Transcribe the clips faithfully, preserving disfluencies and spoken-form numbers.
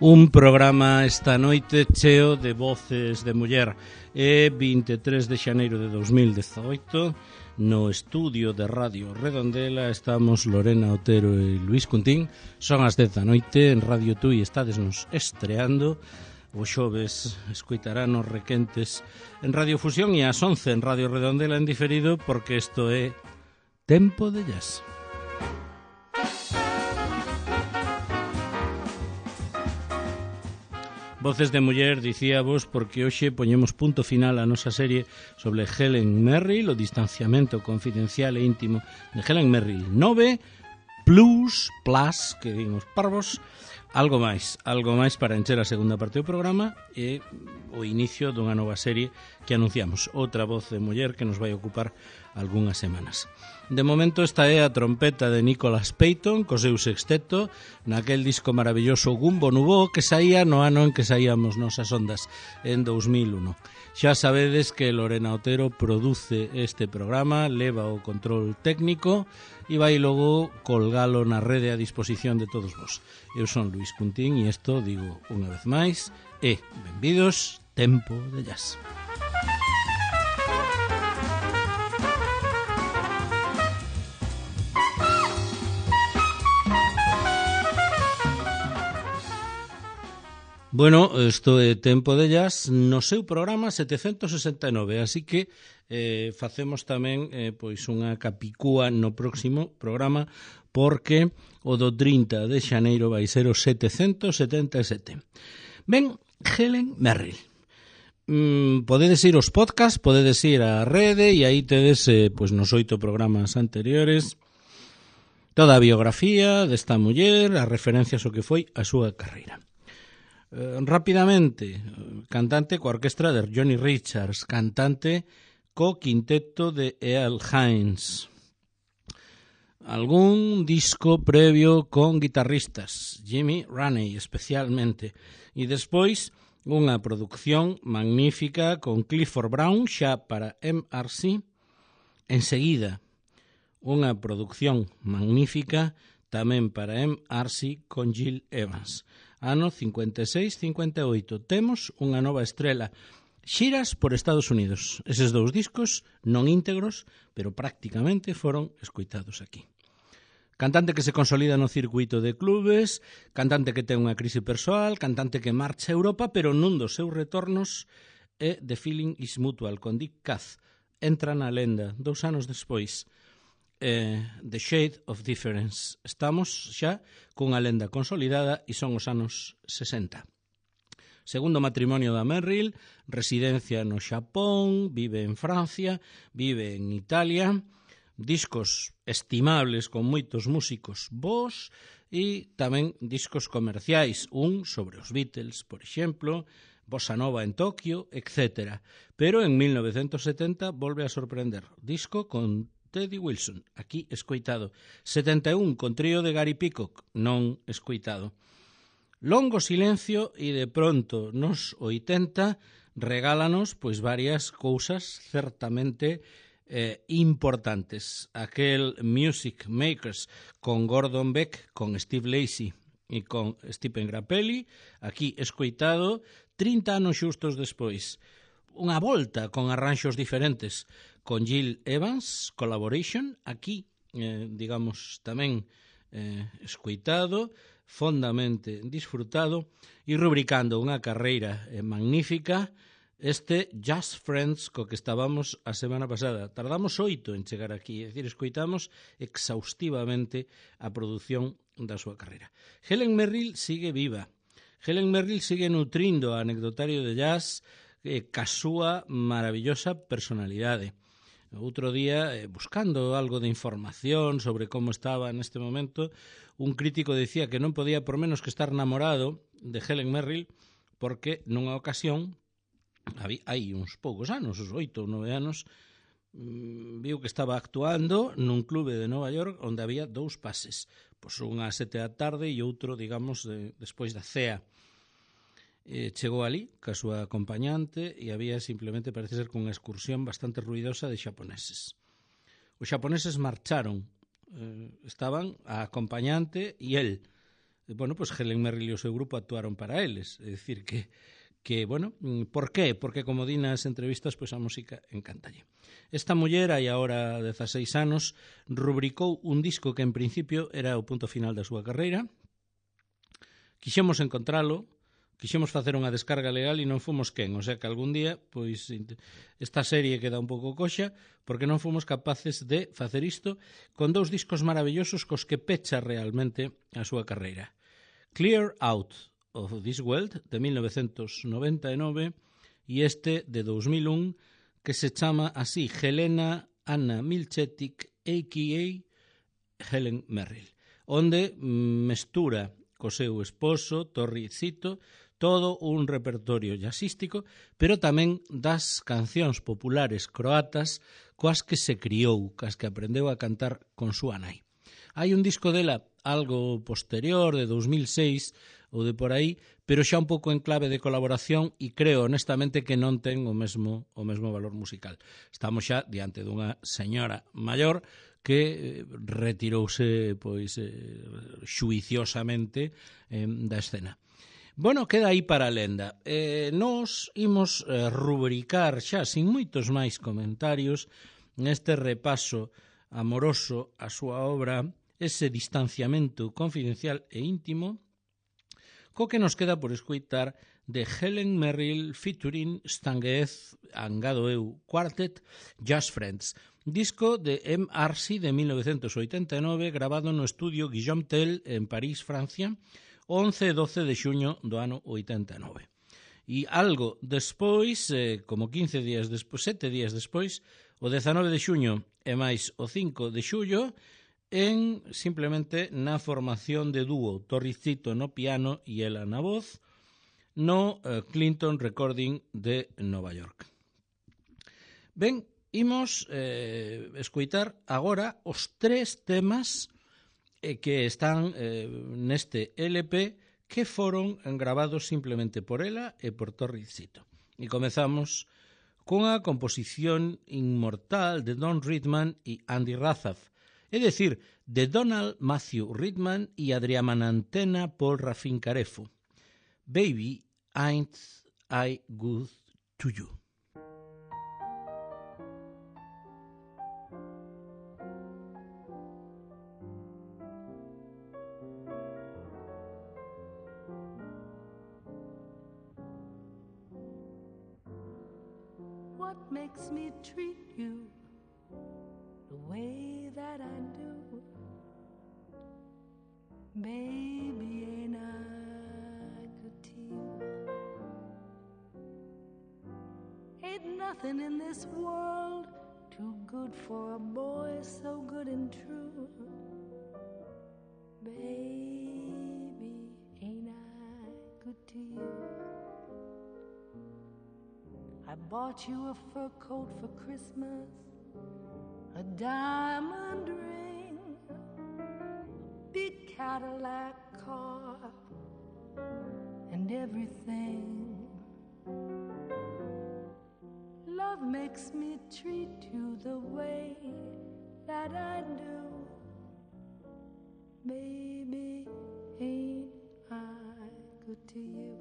Un programa esta noite cheo de voces de muller. É vinte e tres de xaneiro de dos mil dezoito. No estudio de Radio Redondela estamos Lorena Otero e Luís Cuntín. Son as dez da noite en Radio Tui, estádesnos estreando. O xoves escoitarán os requentes en Radio Fusión e ás once en Radio Redondela en diferido, porque isto é Tempo de Jazz. Voces de muller, dicíavos, porque hoxe poñemos punto final a nosa serie sobre Helen Merrill, o distanciamento confidencial e íntimo de Helen Merrill. Nove plus, plus, que din os parvos, algo máis, algo máis para encher a segunda parte do programa e o inicio dunha nova serie que anunciamos. Outra voz de muller que nos vai ocupar algunhas semanas. De momento esta é a trompeta de Nicholas Payton co seu sexteto naquel disco maravilloso Gumbo Nubo que saía no ano en que saíamos nosas ondas, en dos mil uno. Xa sabedes que Lorena Otero produce este programa, leva o control técnico e vai logo colgalo na rede a disposición de todos vos. Eu son Luís Cuntín e isto, digo unha vez máis, e benvidos Tempo de Jazz. Bueno, isto é Tempo de Jazz no seu programa setecentos sesenta e nove, así que eh, facemos tamén eh, pois unha capicúa no próximo programa, porque o do trinta de xaneiro vai ser o setecentos setenta e sete. Ben, Helen Merrill. Mm, podedes ir aos podcast, podedes ir á rede e aí tedes eh, pois nos oito programas anteriores toda a biografía desta muller, as referencias ao que foi a súa carreira. Eh, rapidamente, cantante coa orquestra de Johnny Richards, cantante co quinteto de Earl Hines, algún disco previo con guitarristas, Jimmy Raney especialmente, e despois unha produción magnífica con Clifford Brown xa para M R C, enseguida unha produción magnífica tamén para M R C con Gil Evans. Ano cincuenta e seis cincuenta e oito. Temos unha nova estrela. Xiras por Estados Unidos. Eses dous discos non íntegros, pero prácticamente foron escoitados aquí. Cantante que se consolida no circuito de clubes, cantante que ten unha crise persoal, cantante que marcha a Europa, pero nun dos seus retornos é The Feeling is Mutual, con Dick Cath. Entra na lenda, dous anos despois. Eh, The Shade of Difference. Estamos xa cunha lenda consolidada e son os anos sesenta. Segundo matrimonio da Merrill, residencia no Xapón, vive en Francia, vive en Italia, discos estimables con moitos músicos bons e tamén discos comerciais, un sobre os Beatles, por exemplo, Bossa Nova en Tokio, etcétera. Pero en mil novecentos setenta volve a sorprender, disco con Teddy Wilson, aquí escoitado. setenta e un con trío de Gary Peacock, non escoitado. Longo silencio e de pronto nos oitenta regálanos pois varias cousas certamente eh, importantes. Aquel Music Makers con Gordon Beck, con Steve Lacy e con Stephen Grappelli, aquí escoitado trinta anos xustos despois. Unha volta con arranxos diferentes con Gil Evans, Collaboration, aquí, eh, digamos, tamén eh, escoitado, fondamente disfrutado e rubricando unha carreira eh, magnífica, este Just Friends co que estábamos a semana pasada. Tardamos oito en chegar aquí, é dicir, escoitamos exhaustivamente a produción da súa carreira. Helen Merrill sigue viva. Helen Merrill sigue nutrindo a anecdotario de jazz eh, ca súa maravillosa personalidade. Outro día, eh, buscando algo de información sobre como estaba neste momento, un crítico decía que non podía por menos que estar namorado de Helen Merrill porque nunha ocasión, hai uns poucos anos, uns oito ou nove anos, viu que estaba actuando nun clube de Nova York onde había dous pases, pois un ás sete da tarde e outro, digamos, de, despois da cea. Eh, chegou ali ca súa acompañante e había simplemente, parece ser, cunha excursión bastante ruidosa de xaponeses. Os xaponeses marcharon, eh, estaban a acompañante e el bueno, pois Helen Merrill e o seu grupo actuaron para eles, é dicir que que, bueno, por qué? Porque como di nas entrevistas, pois a música encantalle. Esta muller, hai agora dezaseis anos, rubricou un disco que en principio era o punto final da súa carreira. Quixemos encontralo, quixemos facer unha descarga legal e non fomos quen, o sea que algún día, pois, esta serie queda un pouco coxa, porque non fomos capaces de facer isto con dous discos maravillosos cos que pecha realmente a súa carreira. Clear Out of This World, de mil novecientos noventa e nove, e este de dos mil un, que se chama así Helena Anna Milchetic, a k a. Helen Merrill, onde mestura co seu esposo, Torri Zito, todo un repertorio jazzístico, pero tamén das cancións populares croatas coas que se criou, coas que aprendeu a cantar con súa nai. Hai un disco dela algo posterior, de dos mil seis ou de por aí, pero xa un pouco en clave de colaboración e creo honestamente que non ten o mesmo o mesmo valor musical. Estamos xa diante dunha señora maior que retirouse pois eh, xuiciosamente eh, da escena. Bueno, queda aí para a lenda. Eh, nos imos eh, rubricar xa sin moitos máis comentarios neste repaso amoroso a súa obra, ese distanciamento confidencial e íntimo, co que nos queda por escoitar de Helen Merrill featuring Stan Getz, angado eu, Quartet, Jazz Friends, disco de M R C de mil novecientos oitenta e nove, grabado no estudio Guillaume Tell en París, Francia, once e doce de xuño do ano oitenta e nove. E algo despois, eh, como quince días despois, sete días despois, o dezanove de xuño e máis o cinco de xullo, en simplemente na formación de dúo Torricito no piano e ela na voz no eh, Clinton Recording de Nova York. Ben, imos eh, escoitar agora os tres temas eh, que están eh, neste L P que foron gravados simplemente por ela e por Torricito. E comezamos cunha composición inmortal de Don Ridman e Andy Razaf, é dicir, de Donald Matthew Ridman e Adriana Mantena Paul Rafin Carefo. Baby, ain't I good to you? What makes me treat you the way that I do? Baby, ain't I good to you? Ain't nothing in this world too good for a boy so good and true. Baby, ain't I good to you? I bought you a fur coat for Christmas, a diamond ring, a big Cadillac car, and everything. Love makes me treat you the way that I do. Baby, ain't I good to you?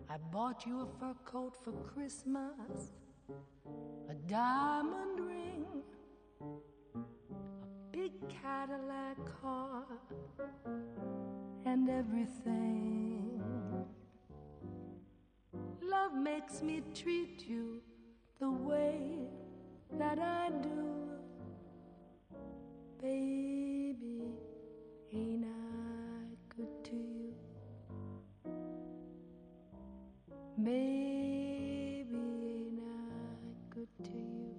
I bought you a fur coat for Christmas, a diamond ring, a big Cadillac car, and everything. Love makes me treat you the way that I do. Baby, ain't I good to you? Baby, ain't I good to you?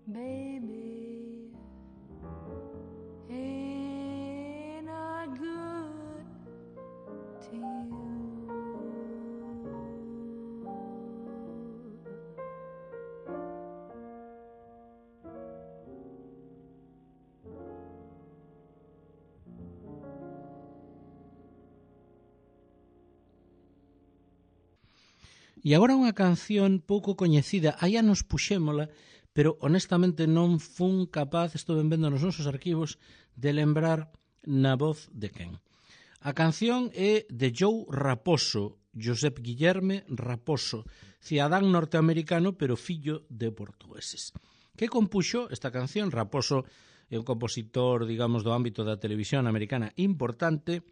Baby, E agora unha canción pouco coñecida, hai anos puxémola, pero honestamente non fun capaz, estou vendo nos nosos arquivos, de lembrar na voz de quen. A canción é de Joe Raposo, Josep Guillerme Raposo, cidadán norteamericano pero fillo de portugueses. Que compuxo esta canción? Raposo é un compositor, digamos, do ámbito da televisión americana importante,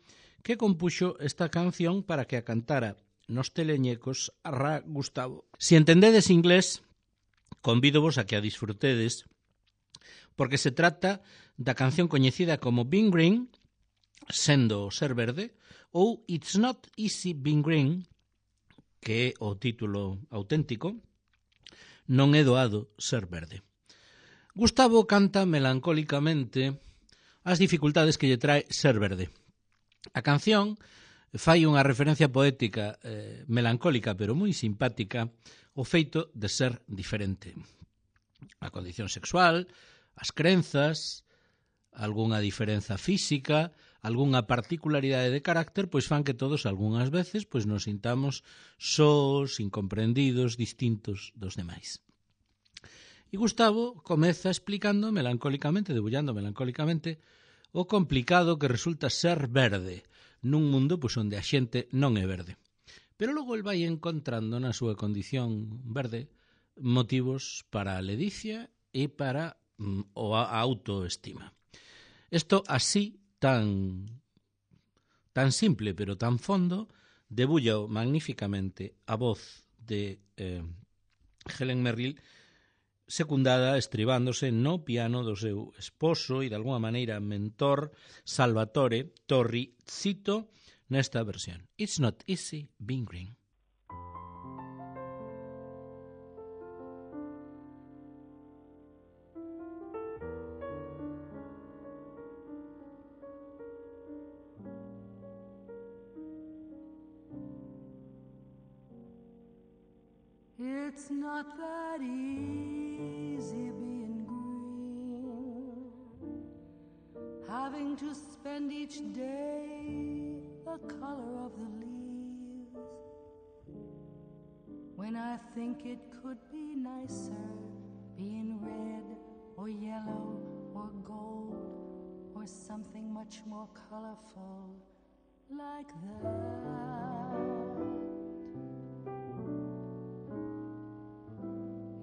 que compuxo esta canción para que a cantara nos teleñecos a Ra Gustavo. Se entendedes inglés, convídovos a que a disfrutedes, porque se trata da canción coñecida como Being Green, sendo ser verde, ou It's Not Easy Being Green, que é o título auténtico, non é doado ser verde. Gustavo canta melancólicamente as dificultades que lle trae ser verde. A canción fai unha referencia poética eh, melancólica, pero moi simpática, o feito de ser diferente. A condición sexual, as crenzas, algunha diferenza física, algunha particularidade de carácter, pois fan que todos algunhas veces pois nos sintamos sós, incomprendidos, distintos dos demais. E Gustavo comeza explicando melancólicamente, debullando melancólicamente, o complicado que resulta ser verde nun mundo pois, onde a xente non é verde. Pero logo el vai encontrando na súa condición verde motivos para a ledicia e para mm, a autoestima. Isto así tan tan simple pero tan fondo debulla magníficamente a voz de eh, Helen Merrill, secundada estribándose no piano do seu esposo e de alguma maneira mentor Salvatore Torri Zito nesta versión. It's Not Easy Being Green. It's not that easy being green, having to spend each day the color of the leaves, when I think it could be nicer being red or yellow or gold or something much more colorful like that.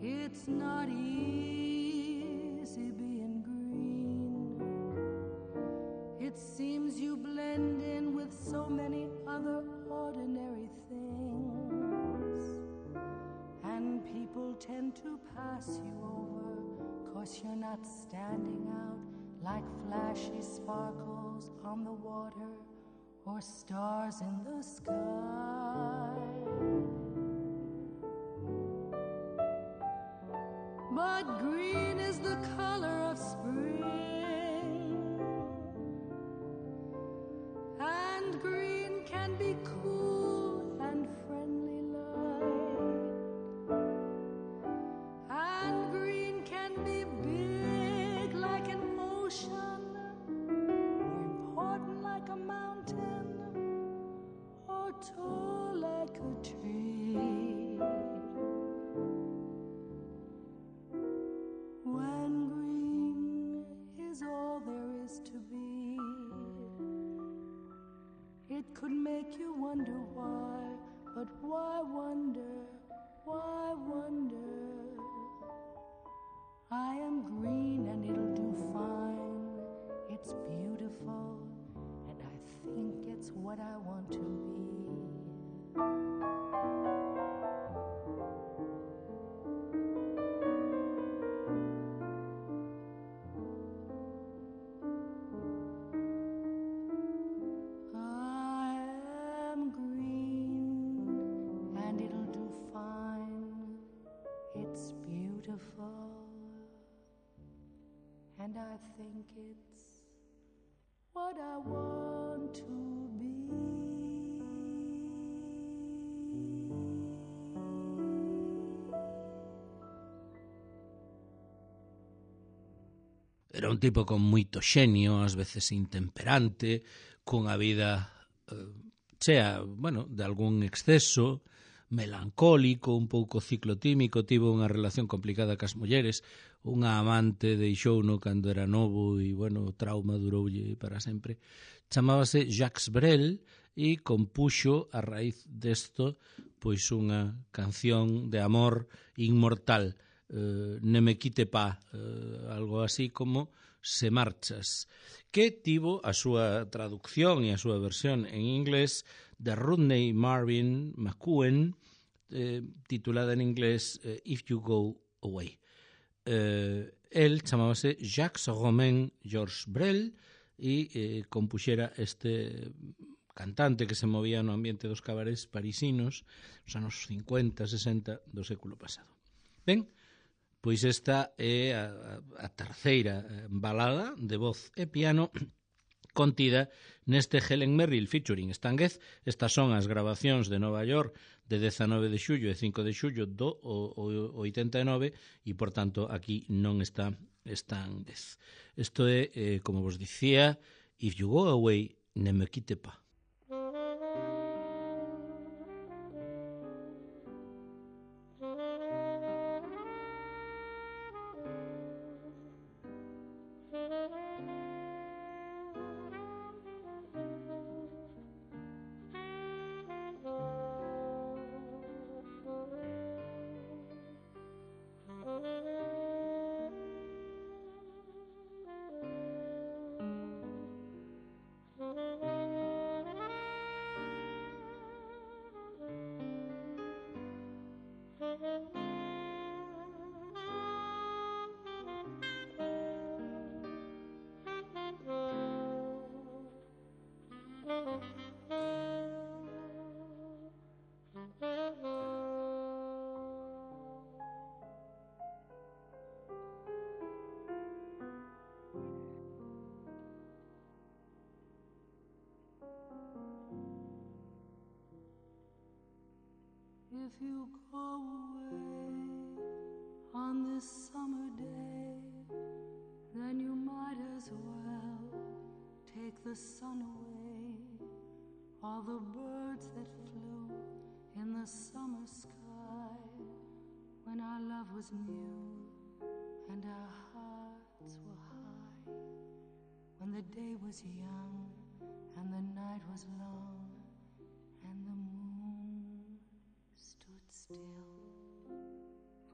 It's not easy being green. It seems you blend in with so many other ordinary things, and people tend to pass you over, 'cause you're not standing out like flashy sparkles on the water or stars in the sky. But green is the color of spring, and green can be cool and friendly light, and green can be big like an ocean, or important like a mountain, or tall like a tree. It could make you wonder why, but why wonder, why wonder? I am green and it'll do fine. It's beautiful and I think it's what I want to be. And I think it's what I want to be. Era un tipo con moito xenio, ás veces intemperante, cunha vida eh, chea, bueno, de algún exceso, melancólico, un pouco ciclotímico, tivo unha relación complicada cas mulleres, unha amante deixouno cando era novo e, bueno, o trauma duroulle para sempre. Chamábase Jacques Brel e compuxo a raíz desto pois unha canción de amor inmortal, eh, Ne me quite pas, eh, algo así como Se marchas, que tivo a súa traducción e a súa versión en inglés de Rodney Marvin McCuen, eh, titulada en inglés eh, If You Go Away. Eh, el chamábase Jacques Romain Georges Brel e eh, compuxera este cantante que se movía no ambiente dos cabarets parisinos nos anos cincuenta, sesenta do século pasado. Ben, pois esta é a, a terceira balada de voz e piano contida neste Helen Merrill featuring Stan Getz. Estas son as grabacións de Nova York de dezanove de xullo e cinco de xullo do oitenta e nove e, por tanto, aquí non está Stan Getz. Isto é, eh, como vos dicía, If You Go Away, Ne me quite pas. If you go away on this summer day, then you might as well take the sun away. All the birds that flew in the summer sky when our love was new and our hearts were high, when the day was young and the night was long and the moon stood still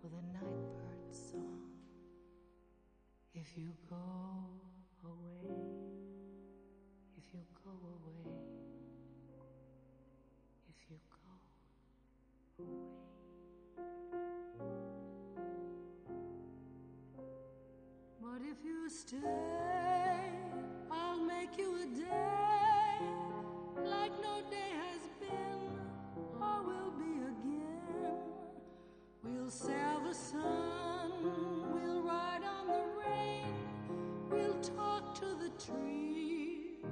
for the nightbird's song. If you go away, if you go away, if you go away. But if you stay, I'll make you a day like no day has been or will be again. We'll sail the sun, we'll ride on the rain, we'll talk to the trees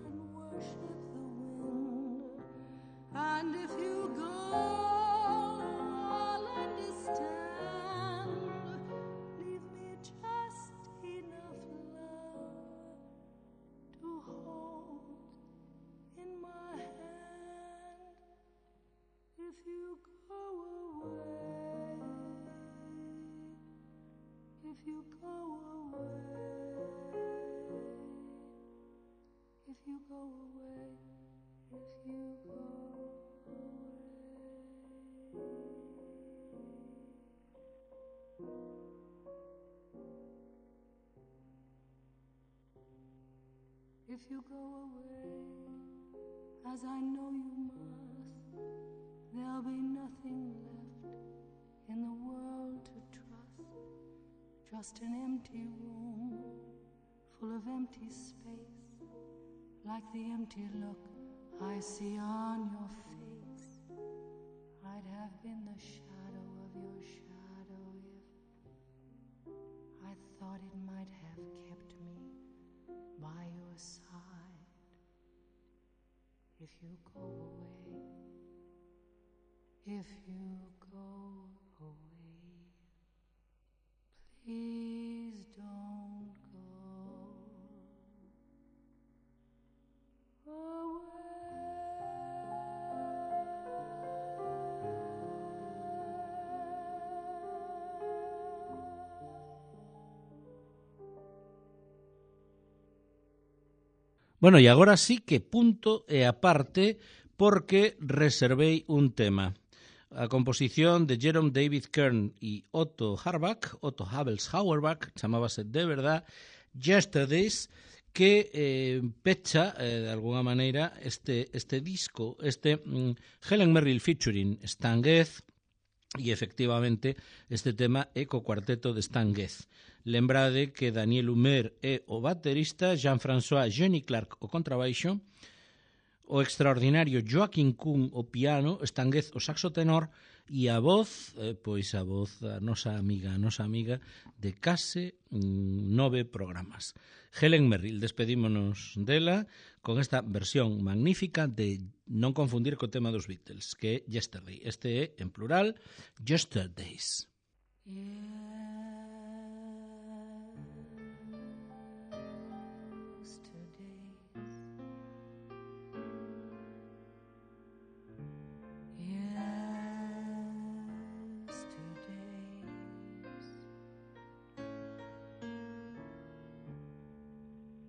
and worship the wind. And if you go, I'll understand. Leave me just enough love to hold in my hand. If you go away, if you go away, if you go away, if you go away. If you go away, as I know you must, there'll be nothing left in the world to trust. Just an empty room full of empty space, like the empty look I see on your face. I'd have been the shadow of your shadow if I thought it might have kept me by your side. If you go away, if you go away, please don't go away. Bueno, e agora sí que punto e aparte porque reservei un tema. A composición de Jerome David Kern e Otto Harbach, Otto Habels Hauerbach, chamábase de verdad Yesterdays, que eh, pecha, eh, de alguna maneira, este, este disco, este mm, Helen Merrill featuring Stan Getz, e efectivamente este tema é co cuarteto de Stan Getz. Lembrade que Daniel Humer é o baterista, Jean-François Jenny Clark o contrabaixo, o extraordinario Joaquín Kuhn o piano, Stan Getz o saxo tenor e a voz, eh, pois a voz da nosa amiga, a nosa amiga de case mm, nove programas. Helen Merrill, despedímonos dela con esta versión magnífica de non confundir co tema dos Beatles, que é Yesterday. Este é, en plural, Yesterdays.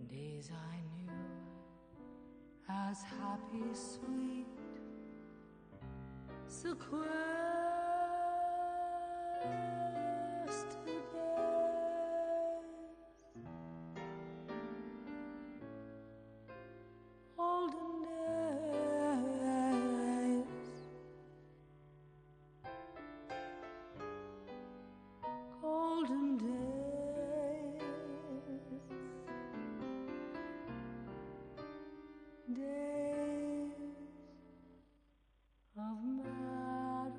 Days I knew as happy, sweet, sequestered days, olden days, golden days. Days of mad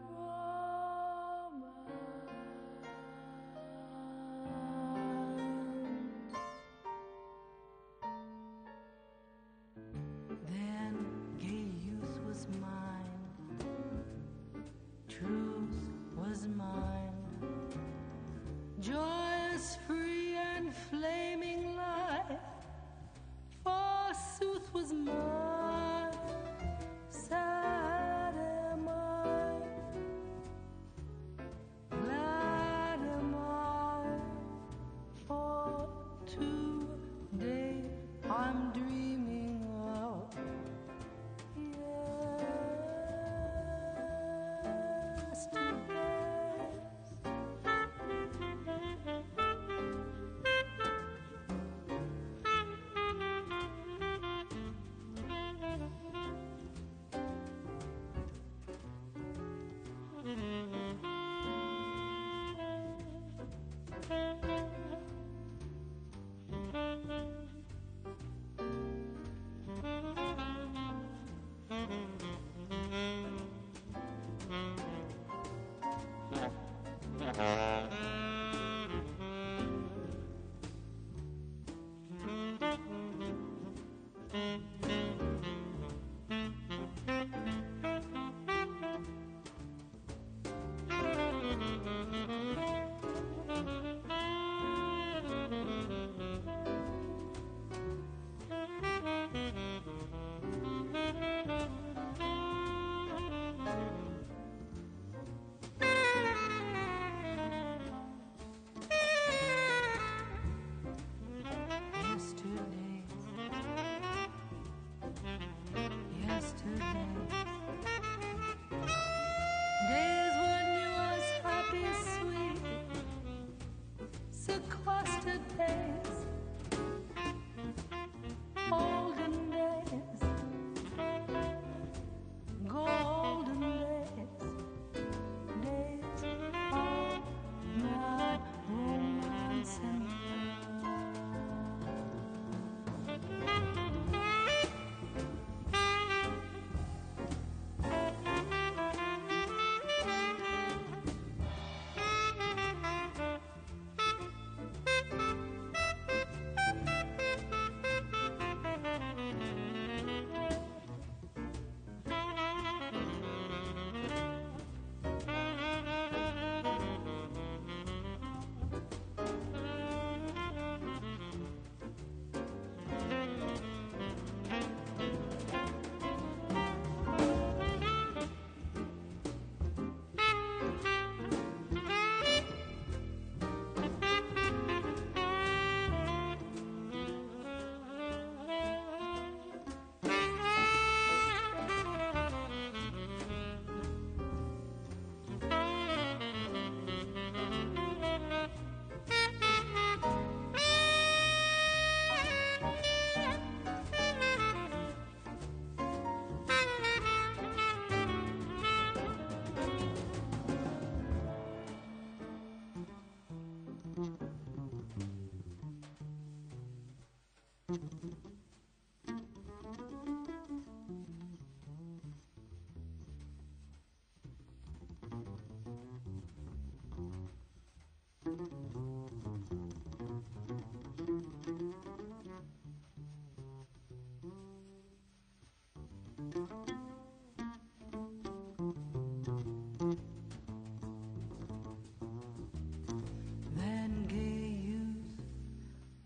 Then gay youth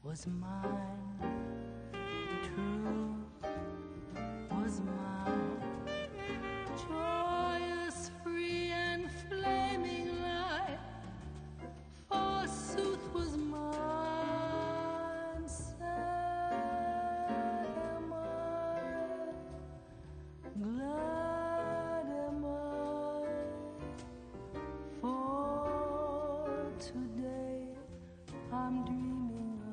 was mine, truth was mine, joyous, free and flaming light, forsooth was mine. Sad am I, glad am I, for today I'm dreaming of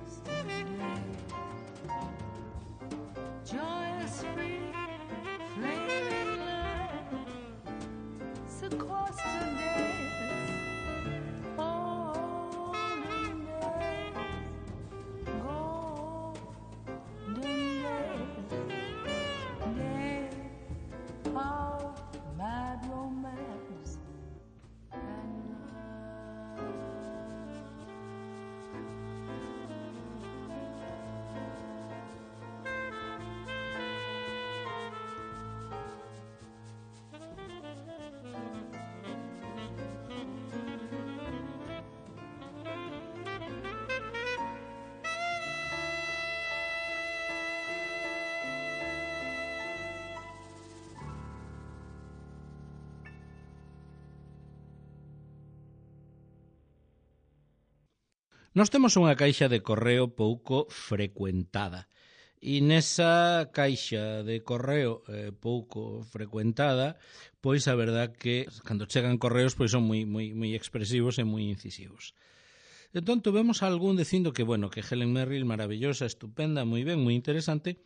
yesterday. Joyous, free, flaming light, sequestered days, olden days, golden days, days of mad romance and love. Nós temos unha caixa de correo pouco frecuentada e nesa caixa de correo eh, pouco frecuentada, pois a verdad que cando chegan correos pois son moi moi moi expresivos e moi incisivos. Entón tuvemos algún dicindo que, bueno, que Helen Merrill maravillosa, estupenda, moi ben, moi interesante,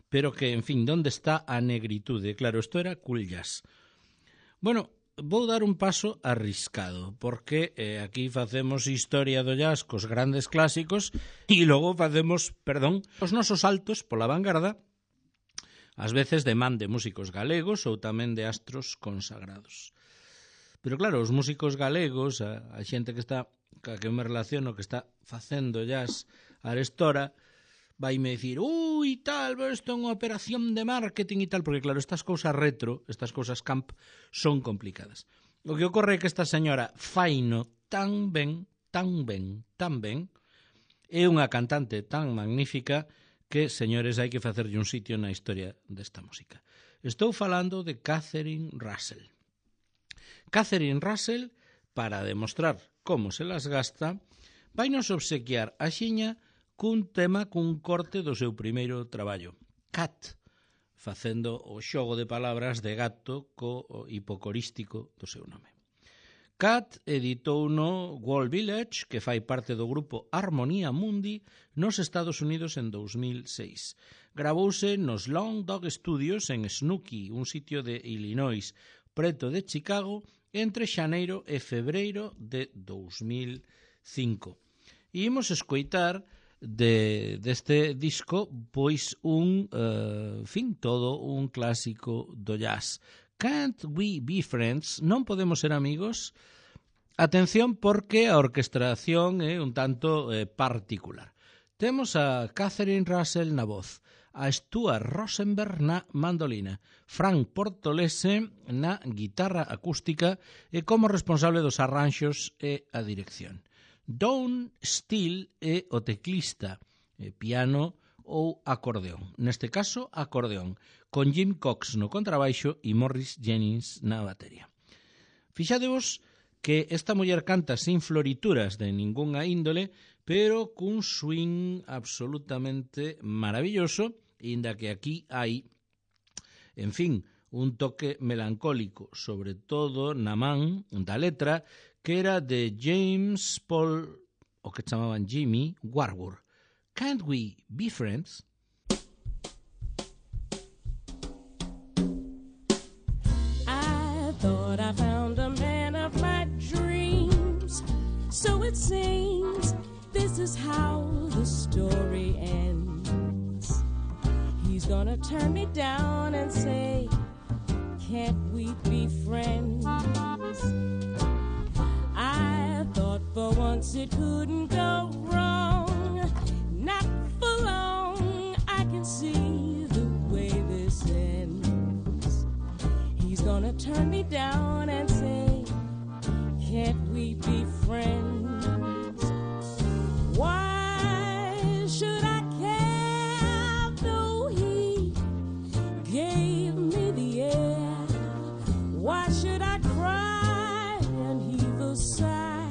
pero que, en fin, onde está a negritude? Claro, isto era cool jazz. Bueno, vou dar un paso arriscado, porque eh, aquí facemos historia do jazz cos grandes clásicos e logo facemos, perdón, os nosos saltos pola vanguarda, ás veces de man de músicos galegos ou tamén de astros consagrados. Pero claro, os músicos galegos, a, a xente que está, que eu me relaciono, que está facendo jazz arestora, vaime dicir, ui, tal, isto é unha operación de marketing e tal, porque claro, estas cousas retro, estas cousas camp, son complicadas. O que ocorre é que esta señora faino tan ben, tan ben, tan ben, é unha cantante tan magnífica que, señores, hai que facerlle un sitio na historia desta música. Estou falando de Catherine Russell. Catherine Russell, para demostrar como se las gasta, vai nos obsequiar a xiña cun tema cun corte do seu primeiro traballo, Cat, facendo o xogo de palabras de gato co hipocorístico do seu nome. Cat editou no Wall Village, que fai parte do grupo Harmonia Mundi, nos Estados Unidos en dous mil seis. Gravouse nos Long Dog Studios en Snooki, un sitio de Illinois, preto de Chicago, entre xaneiro e febreiro de dous mil cinco. E imos escoitar de deste disco pois un, uh, fin, todo un clásico do jazz. Can't We Be Friends? Non podemos ser amigos? Atención, porque a orquestración é un tanto eh, particular. Temos a Catherine Russell na voz, a Stuart Rosenberg na mandolina, Frank Portolese na guitarra acústica e como responsable dos arranxos e a dirección. Don Steele é o teclista, eh, piano ou acordeón. Neste caso, acordeón, con Jim Cox no contrabaixo e Morris Jennings na batería. Fixadevos que esta muller canta sin florituras de ningunha índole, pero cun swing absolutamente maravilloso, inda que aquí hai, en fin, un toque melancólico, sobre todo na man da letra, que era de James Paul, o que chamaban Jimmy Warburg. Can't We Be Friends? I seems this is how the story ends. He's gonna turn me down and say, can't we be friends? I thought for once it couldn't go wrong. Not for long, I can see the way this ends. He's gonna turn me down and say, can't we be friends? Why should I care though he gave me the air? Why should I cry and heave a sigh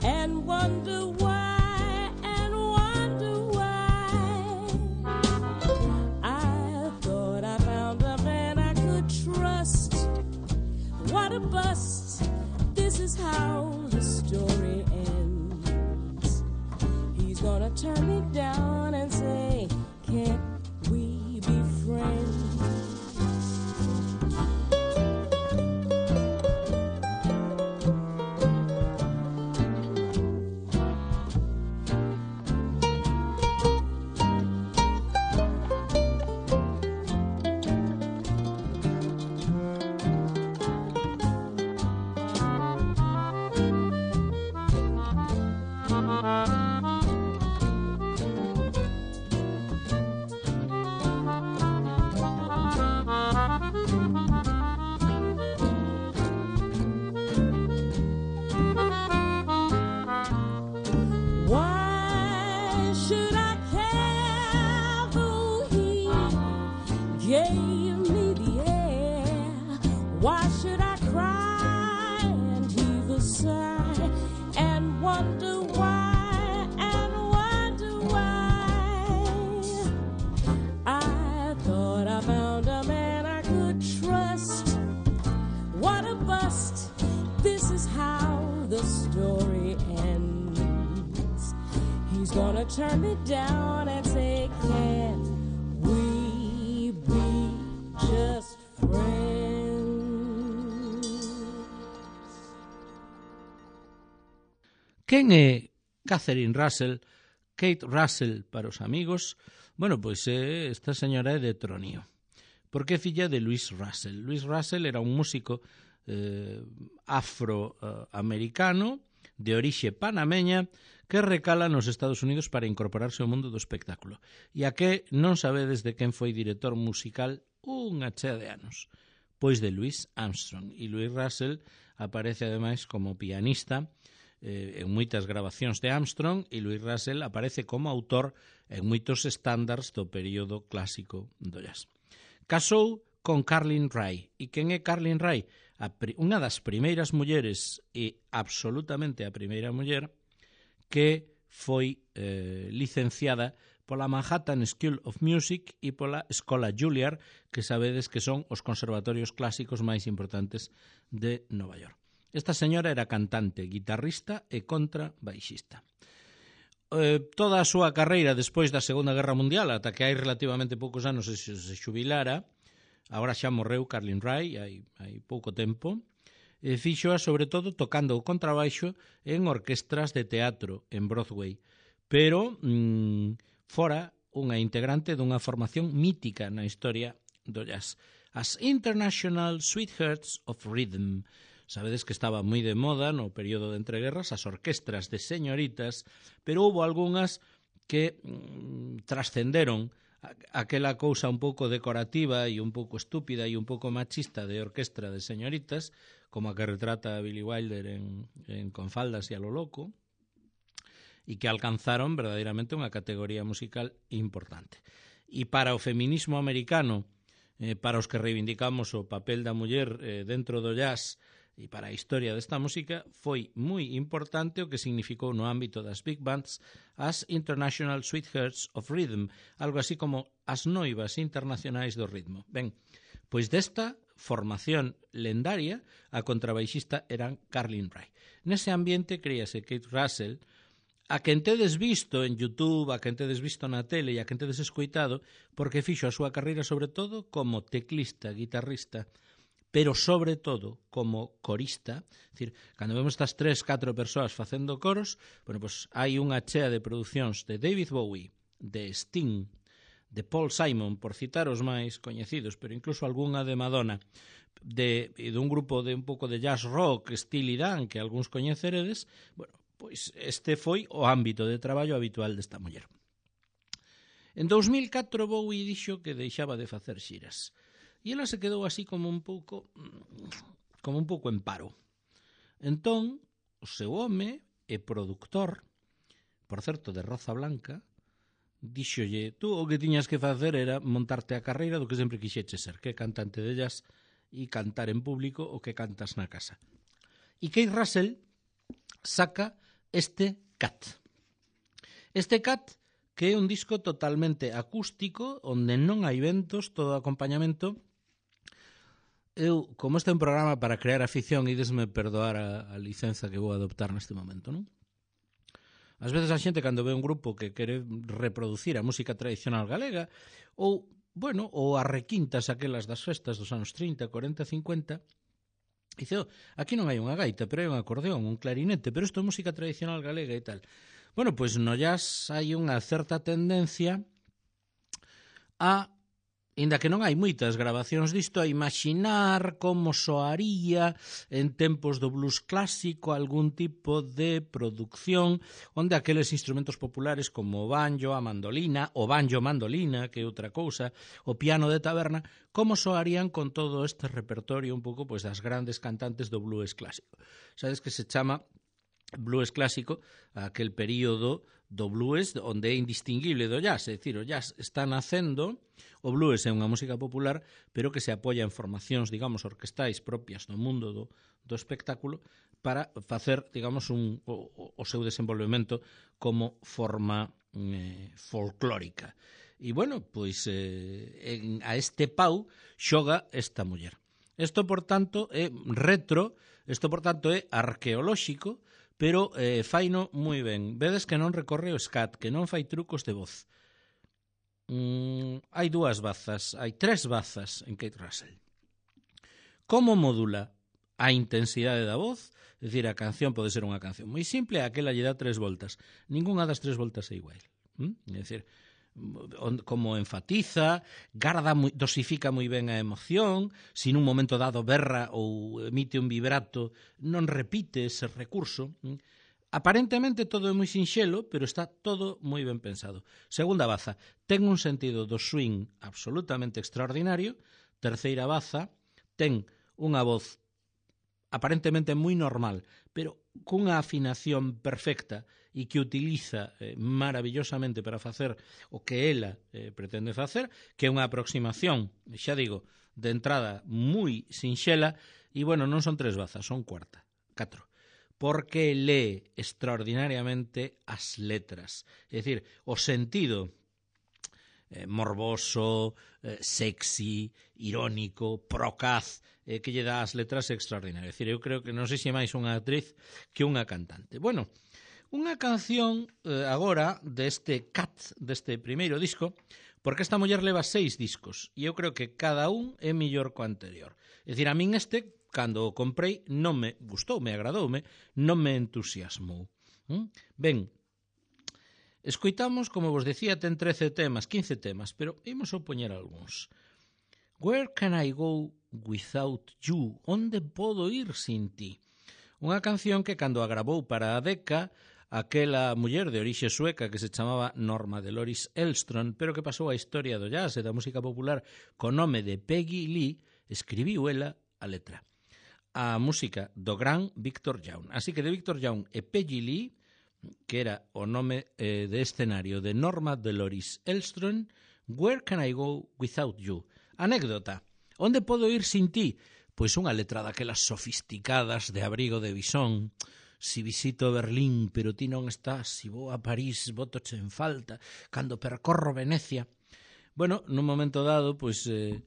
and wonder why and wonder why? I thought I found a man I could trust. What a bust. This is how the story ends. He's gonna turn me down and say, can't we be friends? Why should I care though he gave me the air? Why should I cry and heave a sigh and wonder why and wonder why? I thought I found a man I could trust. What a bust. This is how the story ends. He's gonna turn me down and say, can we be just friends? Quen é Catherine Russell, Kate Russell para os amigos? Bueno, pois eh, esta señora é de Tronío, porque é filla de Louis Russell. Louis Russell era un músico eh, afroamericano de orixe panameña que recala nos Estados Unidos para incorporarse ao mundo do espectáculo. E a que non sabedes de quen foi director musical unha chea de anos? Pois de Louis Armstrong. E Louis Russell aparece ademais como pianista eh, en moitas grabacións de Armstrong, e Louis Russell aparece como autor en moitos estándares do período clásico do jazz. Casou con Carlin Ray. E quen é Carlin Ray? A pri- unha das primeiras mulleres, e absolutamente a primeira muller, que foi eh, licenciada pola Manhattan School of Music e pola Escola Juilliard, que sabedes que son os conservatorios clásicos máis importantes de Nova York. Esta señora era cantante, guitarrista e contrabaixista. Eh, toda a súa carreira despois da Segunda Guerra Mundial, ata que hai relativamente poucos anos se, se xubilara, agora xa morreu Carlin Ray, hai, hai pouco tempo, e fixoa sobre todo tocando o contrabaixo en orquestras de teatro en Broadway, pero mmm, fora unha integrante dunha formación mítica na historia do jazz, as International Sweethearts of Rhythm. Sabedes que estaba moi de moda no período de entreguerras as orquestras de señoritas, pero houve algunhas que mmm, trascenderon aquela cousa un pouco decorativa e un pouco estúpida e un pouco machista de orquestra de señoritas, como a que retrata a Billy Wilder en, en Con faldas e a lo loco, e que alcanzaron verdadeiramente unha categoría musical importante. E para o feminismo americano, eh, para os que reivindicamos o papel da muller eh, dentro do jazz, e para a historia desta música, foi moi importante o que significou no ámbito das big bands as International Sweethearts of Rhythm, algo así como as noivas internacionais do ritmo. Ben, pois desta formación lendaria, a contrabaixista eran Carlin Ray. Nese ambiente críase Kate Russell, a quen tedes visto en YouTube, a quen tedes visto na tele e a quen tedes escoitado, porque fixo a súa carreira sobre todo como teclista, guitarrista, pero sobre todo como corista. É dicir, cando vemos estas tres, catro persoas facendo coros, bueno, pues hai unha chea de producións de David Bowie, de Sting, de Paul Simon, por citar os máis coñecidos, pero incluso algunha de Madonna, de, de un grupo de un pouco de jazz rock, Steely Dan, que algúns coñeceredes. Bueno, pois este foi o ámbito de traballo habitual desta muller. En dous mil catro Bowie dixo que deixaba de facer xiras, e ela se quedou así como un pouco como un pouco en paro. Entón, o seu home e produtor, por certo, de Roza Blanca, díxolle, tú o que tiñas que facer era montarte a carreira do que sempre quixeche ser, que cantante de jazz e cantar en público o que cantas na casa. E Keith Russell saca este Cat. Este Cat, que é un disco totalmente acústico, onde non hai ventos, todo acompañamento. Eu, como este é un programa para crear afición, idesme perdoar a, a licenza que vou adoptar neste momento, non? Ás veces a xente, cando ve un grupo que quere reproducir a música tradicional galega, ou, bueno, ou as requintas aquelas das festas dos anos trinta, cuarenta, cincuenta, dice, oh, aquí non hai unha gaita, pero hai un acordeón, un clarinete, pero isto é música tradicional galega e tal. Bueno, pois no jazz hai unha certa tendencia a, inda que non hai moitas grabacións disto, a imaginar como soaría en tempos do blues clásico algún tipo de producción onde aqueles instrumentos populares como o banjo, a mandolina, o banjo-mandolina, que é outra cousa, o piano de taberna, como soarían con todo este repertorio un pouco pois das grandes cantantes do blues clásico. Sabes que se chama blues clásico aquel período do blues onde é indistinguible do jazz, é dicir, o jazz está nacendo, o blues é unha música popular, pero que se apoia en formacións, digamos, orquestais propias do mundo do, do espectáculo para facer, digamos, un, o, o seu desenvolvemento como forma eh, folclórica. E, bueno, pois eh, en, a este pau xoga esta muller. Isto, por tanto, é retro, isto, por tanto, é arqueolóxico, pero eh, faino moi ben. Vedes que non recorre o scat, que non fai trucos de voz. Mm, hai dúas bazas, hai tres bazas en Keith Russell. Como modula a intensidade da voz? É dicir, a canción pode ser unha canción moi simple, aquela lle dá tres voltas. Ninguna das tres voltas é igual. Mm? É dicir, como enfatiza, garda, dosifica moi ben a emoción, se nun momento dado berra ou emite un vibrato, non repite ese recurso. Aparentemente todo é moi sinxelo, pero está todo moi ben pensado. Segunda baza, ten un sentido do swing absolutamente extraordinario. Terceira baza, ten unha voz aparentemente moi normal, pero cunha afinación perfecta e que utiliza eh, maravillosamente para facer o que ela eh, pretende facer, que é unha aproximación, xa digo, de entrada moi sinxela, e, bueno, non son tres bazas, son cuarta, catro, porque lee extraordinariamente as letras. É dicir, o sentido eh, morboso, eh, sexy, irónico, procaz, eh, que lle dá as letras extraordinarias. É dicir, eu creo que non sei se máis unha actriz que unha cantante. Bueno, unha canción eh, agora deste Cat, deste primeiro disco, porque esta muller leva seis discos e eu creo que cada un é mellor co anterior. É dicir, a min este, cando o comprei, non me gustou, me agradoume, non me entusiasmou. ¿Mm? Ben, escoitamos, como vos decía, ten trece temas, quince temas, pero imos a poñer algúns. Where can I go without you? Onde podo ir sin ti? Unha canción que cando a gravou para a Decca, aquela muller de orixe sueca que se chamaba Norma Deloris Elvström, pero que pasou a historia do jazz e da música popular co nome de Peggy Lee, escribiu ela a letra. A música do gran Victor Young. Así que de Victor Young e Peggy Lee, que era o nome eh, de escenario de Norma Deloris Elvström, Where can I go without you? Anécdota. Onde podo ir sin ti? Pois unha letra daquelas sofisticadas de Abrigo de Bisón. Si visito Berlín, pero ti non estás. Si vou a París, botoche en falta. Cando percorro Venecia. Bueno, nun momento dado, pois eh,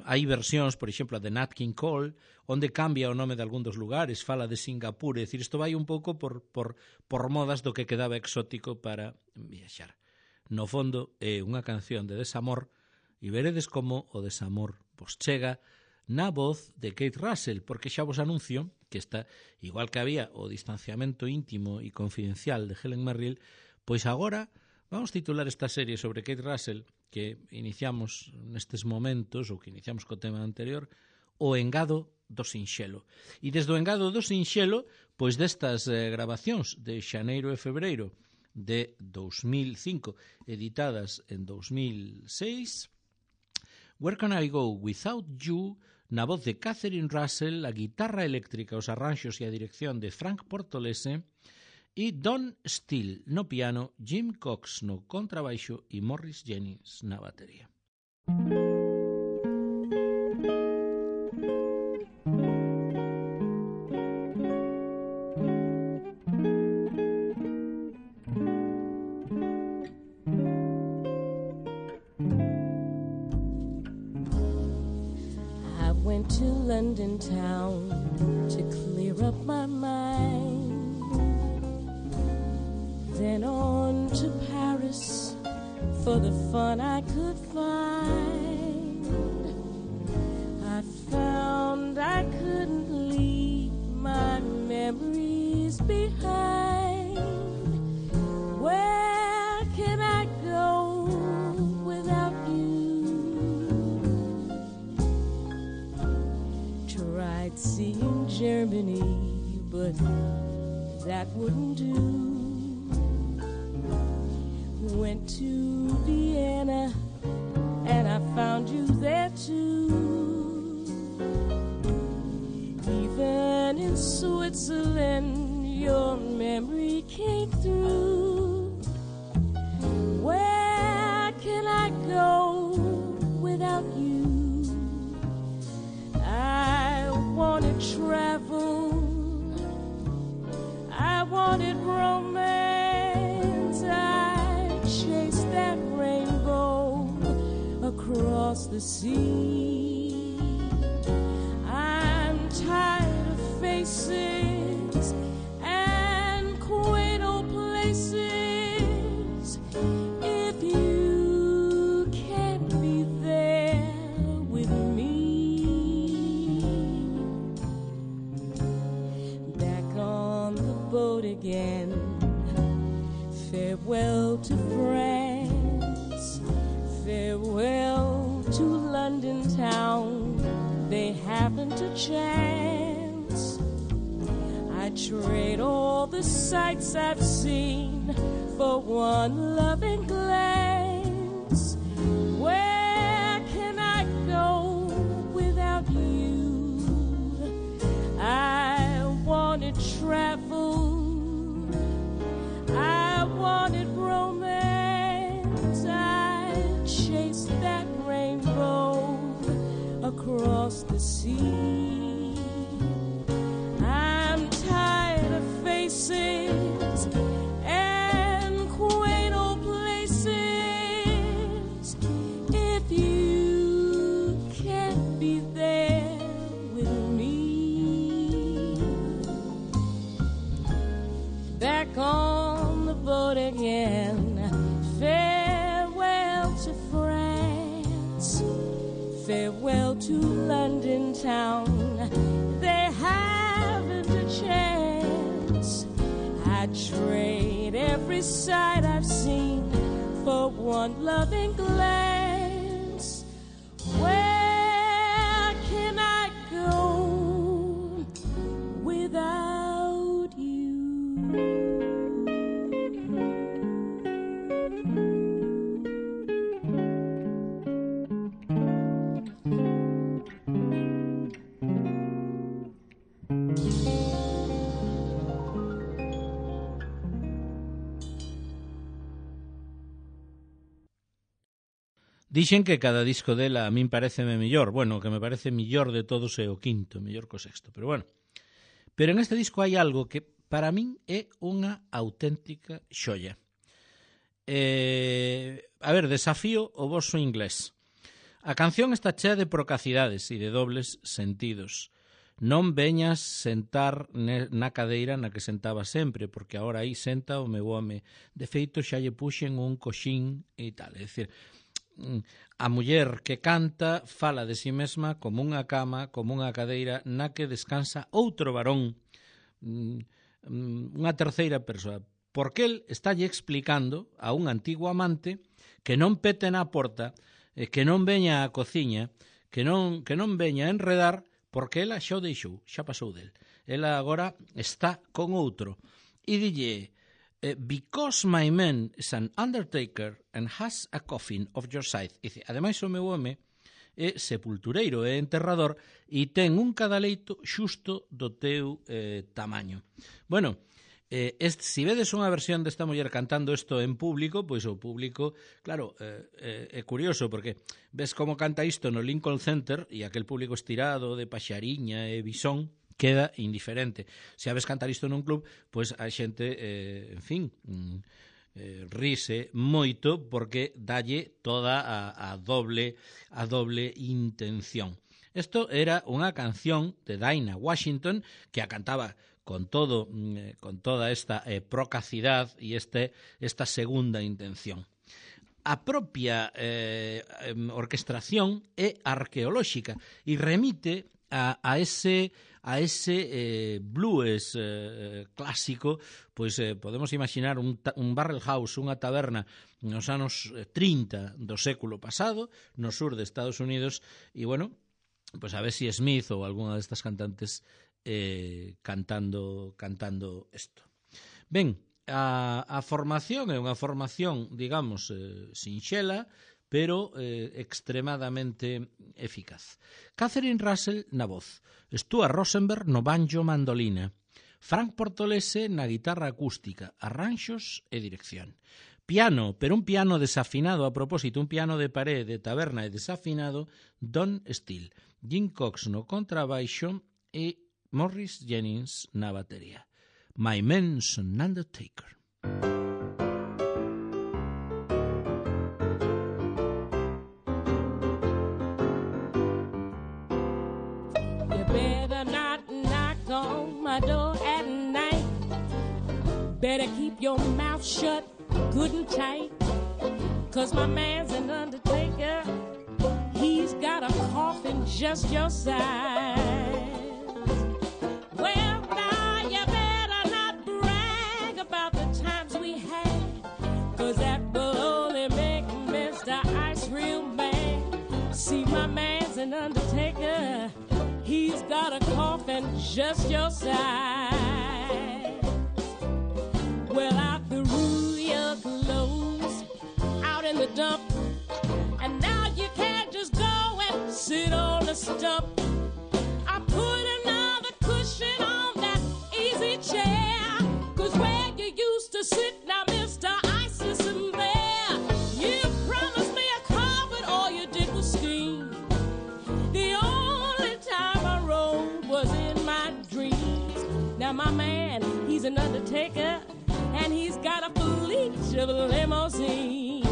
hai versións, por exemplo, a de Nat King Cole, onde cambia o nome de algún dos lugares, fala de Singapur, é dicir, isto vai un pouco por, por, por modas do que quedaba exótico para viaxar. No fondo, é unha canción de desamor, e veredes como o desamor vos chega na voz de Kate Russell, porque xa vos anuncio que está, igual que había o distanciamento íntimo e confidencial de Helen Merrill, pois agora vamos titular esta serie sobre Kate Russell, que iniciamos nestes momentos, ou que iniciamos co tema anterior, o engado do sinxelo. E desde o engado do sinxelo, pois destas eh, grabacións de xaneiro e febreiro de dos mil cinco, editadas en dos mil seis, Where Can I Go Without You, na voz de Catherine Russell, a guitarra eléctrica, os arranxos e a dirección de Frank Portolese, e Don Steele no piano, Jim Cox no contrabaixo e Morris Jennings na batería. To London town to clear up my mind, then on to Paris for the fun I could find. I found I couldn't leave my memories behind. Where can I go without you? Tried seeing Germany, but that wouldn't do. Went to Vienna, and I found you there too. Even in Switzerland, your memory came through. Where can I go without you? I wanted travel, I wanted romance, I chased that rainbow across the sea. I'm tired of faces and quaint old places. If you can't be there with me, back on the boat again, farewell to France, farewell to London town, they haven't a chance. I trade all the sights I've seen for one loving glance. Where can I go without you? I wanted travel, I wanted romance, I chased that rainbow across the sea. I'm tired of faces and quaint old places. If you can't be there with me, back on the boat again, farewell to France, farewell to London town, they haven't a chance. I'd trade every sight I've seen for one loving glance. Where can I go without you? Dixen que cada disco dela a min pareceme mellor. Bueno, o que me parece mellor de todos é o quinto, mellor co sexto, pero bueno. Pero en este disco hai algo que para min é unha auténtica xoia. Eh, a ver, desafío o voso inglés. A canción está chea de procacidades e de dobles sentidos. Non veñas sentar na cadeira na que sentaba sempre, porque agora aí senta o meu home. De feito, xa lle puxen un coxín e tal. É dicir, a muller que canta fala de si mesma como unha cama, como unha cadeira na que descansa outro varón, unha terceira persoa, porque el estálle explicando a un antigo amante que non pete na porta, que non veña á cociña, que non, que non veña a enredar, porque ela xa o deixou, xa pasou del. Ela agora está con outro. E dille, because my man is an undertaker and has a coffin of your size. E dice, ademais o meu home é sepultureiro, é enterrador e ten un cadaleito xusto do teu eh, tamaño. Bueno, eh, este, si vedes unha versión desta muller cantando isto en público, pois o público, claro, eh, eh, é curioso porque ves como canta isto no Lincoln Center e aquel público estirado de paxariña e bisón queda indiferente. Se a ves cantar isto nun club, pois a xente, eh, en fin, mm, eh, rise moito porque dalle toda a, a doble a doble intención. Isto era unha canción de Dinah Washington que a cantaba con todo eh, con toda esta eh, procacidad e este esta segunda intención. A propia eh, orquestración é arqueolóxica e remite a, a ese a ese eh, blues eh, clásico, pois eh, podemos imaginar un, un barrel house, unha taberna nos anos trinta do século pasado, no sur de Estados Unidos, e bueno, pois a ver si Smith ou algunha destas cantantes eh, cantando cantando isto. Ben, a, a formación é unha formación, digamos, eh, sinxela, pero eh, extremadamente eficaz. Catherine Russell na voz, Stuart Rosenberg no banjo mandolina, Frank Portolese na guitarra acústica, arranxos e dirección. Piano, pero un piano desafinado a propósito, un piano de pared, de taberna e desafinado, Don Steele, Jim Cox no contrabaixo e Morris Jennings na batería. My Man's an Undertaker. Door at night, better keep your mouth shut good and tight, 'cause my man's an undertaker, he's got a coffin just your size. Well, now you better not brag about the times we had, 'cause that will only make Mister Ice real mad. See, my man's an undertaker, he's got a coffin just your size. Well, I threw your clothes out in the dump, and now you can't just go and sit on the stump. I put another cushion on that easy chair, 'cause where you used to sit now, Mister Ice isn't there. You promised me a carpet, all you did was scheme. The only time I rode was in my dreams. Now my man, he's an undertaker, and he's got a fleet of limousines.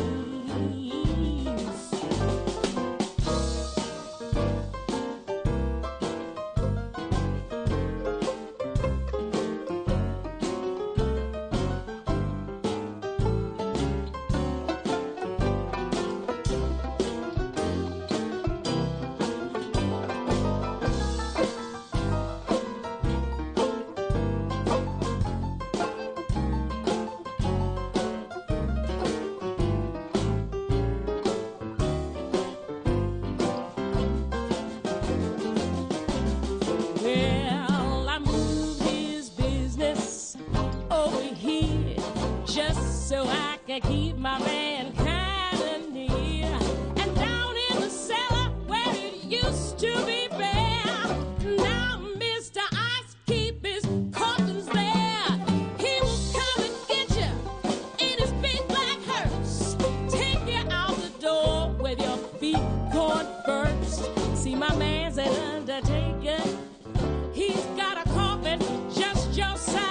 Keep my man kinda near, and down in the cellar where it used to be bare, now Mister Ice keep his coffins there. He will come and get you in his big black hearse, take you out the door with your feet going first. See, my man's an undertaker, he's got a coffin just your size.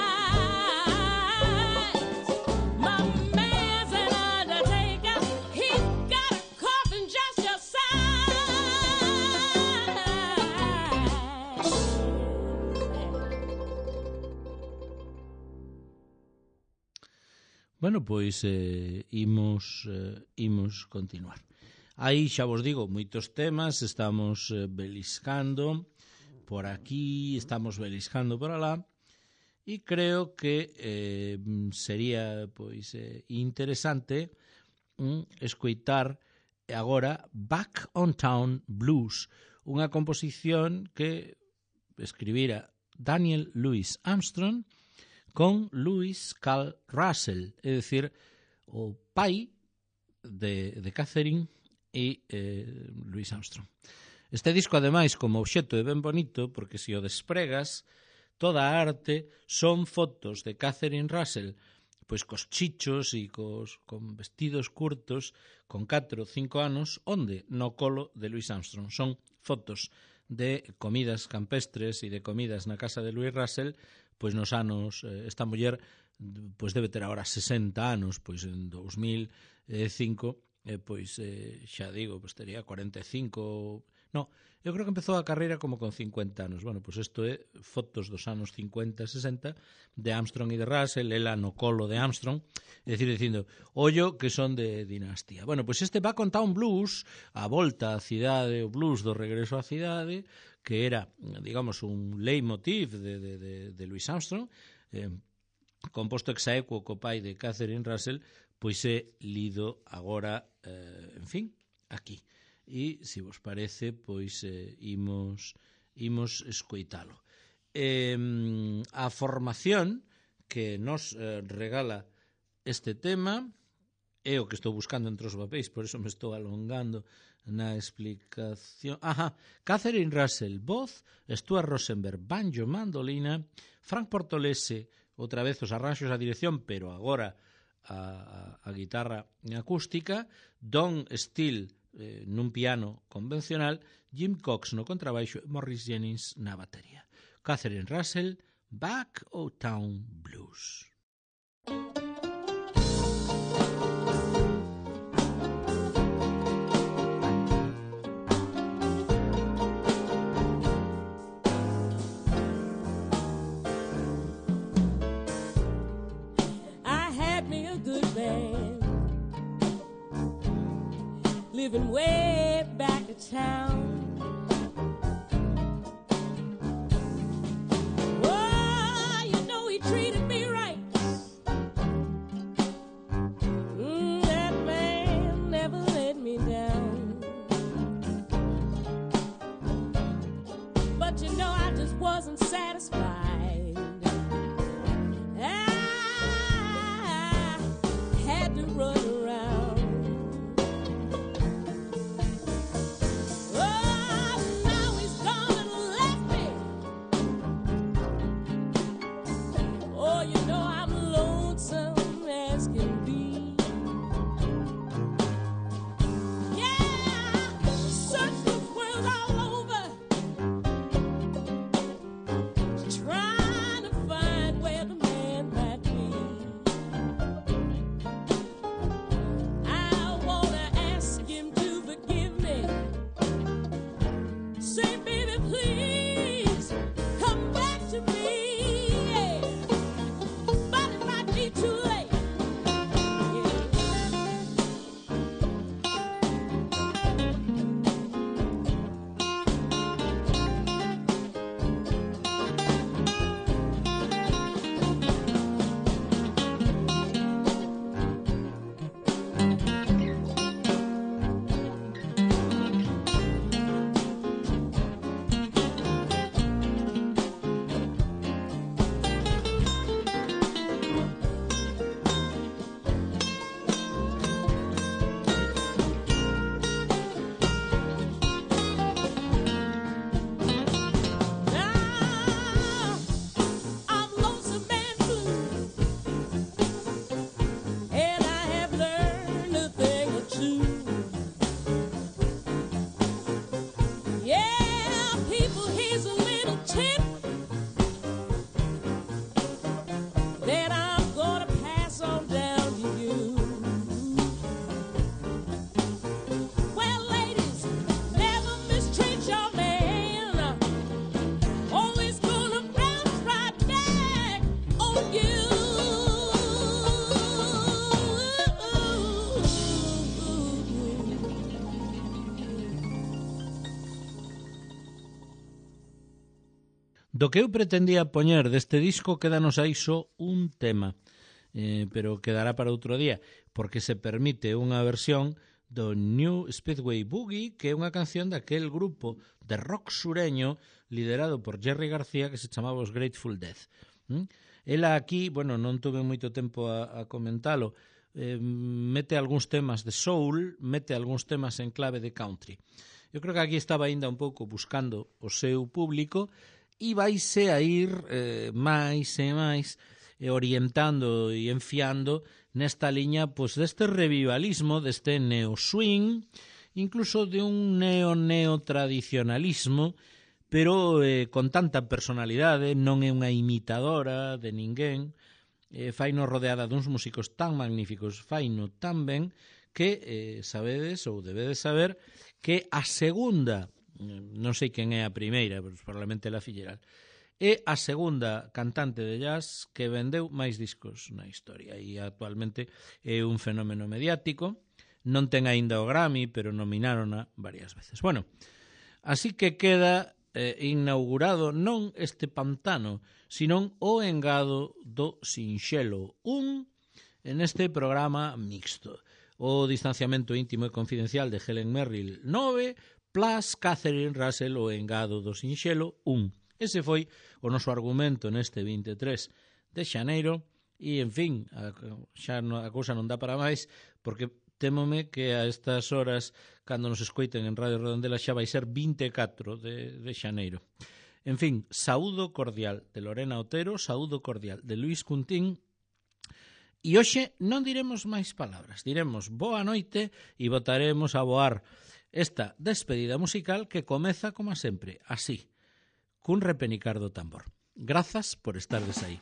Bueno, pois eh, imos, eh, imos continuar. Aí xa vos digo, moitos temas, estamos eh, beliscando por aquí, estamos beliscando por alá, e creo que eh, sería pois eh, interesante mm, escoitar agora Back on Town Blues, unha composición que escribira Daniel Louis Armstrong con Louis Carl Russell, é dicir, o pai de, de Catherine e eh, Louis Armstrong. Este disco, ademais, como obxecto é ben bonito, porque se o despregas, toda a arte son fotos de Catherine Russell, pois cos chichos e cos, con vestidos curtos, con catro ou cinco anos, onde no colo de Louis Armstrong. Son fotos de comidas campestres e de comidas na casa de Louis Russell, pois nos anos, eh, esta muller pois debe ter agora sesenta anos, pois en dous mil cinco, eh, pois eh, xa digo, pois tería cuarenta e cinco. No, eu creo que empezou a carreira como con cincuenta anos. Bueno, pois isto é fotos dos anos cincuenta e sesenta de Armstrong e de Russell, ela no colo de Armstrong, é dicir, dicindo, ollo que son de dinastía. Bueno, pois este Back on Town Blues, a volta á cidade, o blues do regreso á cidade, que era, digamos, un leitmotiv de, de, de, de Louis Armstrong, eh, composto exaequo co pai de Catherine Russell, pois é lido agora, eh, en fin, aquí. E, se vos parece, pois eh, imos, imos escoitalo. Eh, a formación que nos eh, regala este tema é o que estou buscando entre os papéis, por eso me estou alongando na explicación. Ajá, Catherine Russell, voz, Stuart Rosenberg, banjo, mandolina, Frank Portolese, outra vez os arranxos a dirección, pero agora a, a, a guitarra acústica, Don Steele eh, nun piano convencional, Jim Cox no contrabaixo e Morris Jennings na batería. Catherine Russell, Back o Town Blues. Living way back to town. Oh, you know he treated me right. Mm, that man never let me down. But you know I just wasn't satisfied. I had to run around. Oh, Do que eu pretendía poñer deste disco quédanos aí só un tema, eh, pero quedará para outro día, porque se permite unha versión do New Speedway Boogie, que é unha canción daquel grupo de rock sureño liderado por Jerry García que se chamaba os Grateful Dead. ¿Mm? Ela aquí, bueno, non tuve moito tempo a, a comentalo, eh, mete algúns temas de soul, mete algúns temas en clave de country. Eu creo que aquí estaba aínda un pouco buscando o seu público e vaise a ir eh, máis e máis eh, orientando e enfiando nesta liña pois, deste revivalismo, deste neo-swing, incluso de un neo-neo-tradicionalismo, pero eh, con tanta personalidade, non é unha imitadora de ninguén, eh, faino rodeada duns músicos tan magníficos, faino tan ben, que eh, sabedes ou debedes saber que a segunda, non sei quen é a primeira, pero probablemente la Filleral, é a segunda cantante de jazz que vendeu máis discos na historia e actualmente é un fenómeno mediático, non ten aínda o Grammy, pero nominárona varias veces. Bueno, así que queda eh, inaugurado non este pantano, sino o engado do Sinxelo, un en este programa mixto. O distanciamento íntimo e confidencial de Helen Merrill nove, plus Catherine Russell o engado do Sinxelo un. Ese foi o noso argumento neste vinte e tres de xaneiro e, en fin, a, xa no, a cousa non dá para máis porque témome que a estas horas, cando nos escoiten en Radio Redondela, xa vai ser vinte e catro de, de xaneiro. En fin, saúdo cordial de Lorena Otero, saúdo cordial de Luís Cuntín. E hoxe non diremos máis palabras, diremos boa noite e botaremos a voar esta despedida musical que comeza, como sempre, así, cun repenicar do tambor. Grazas por estardes aí.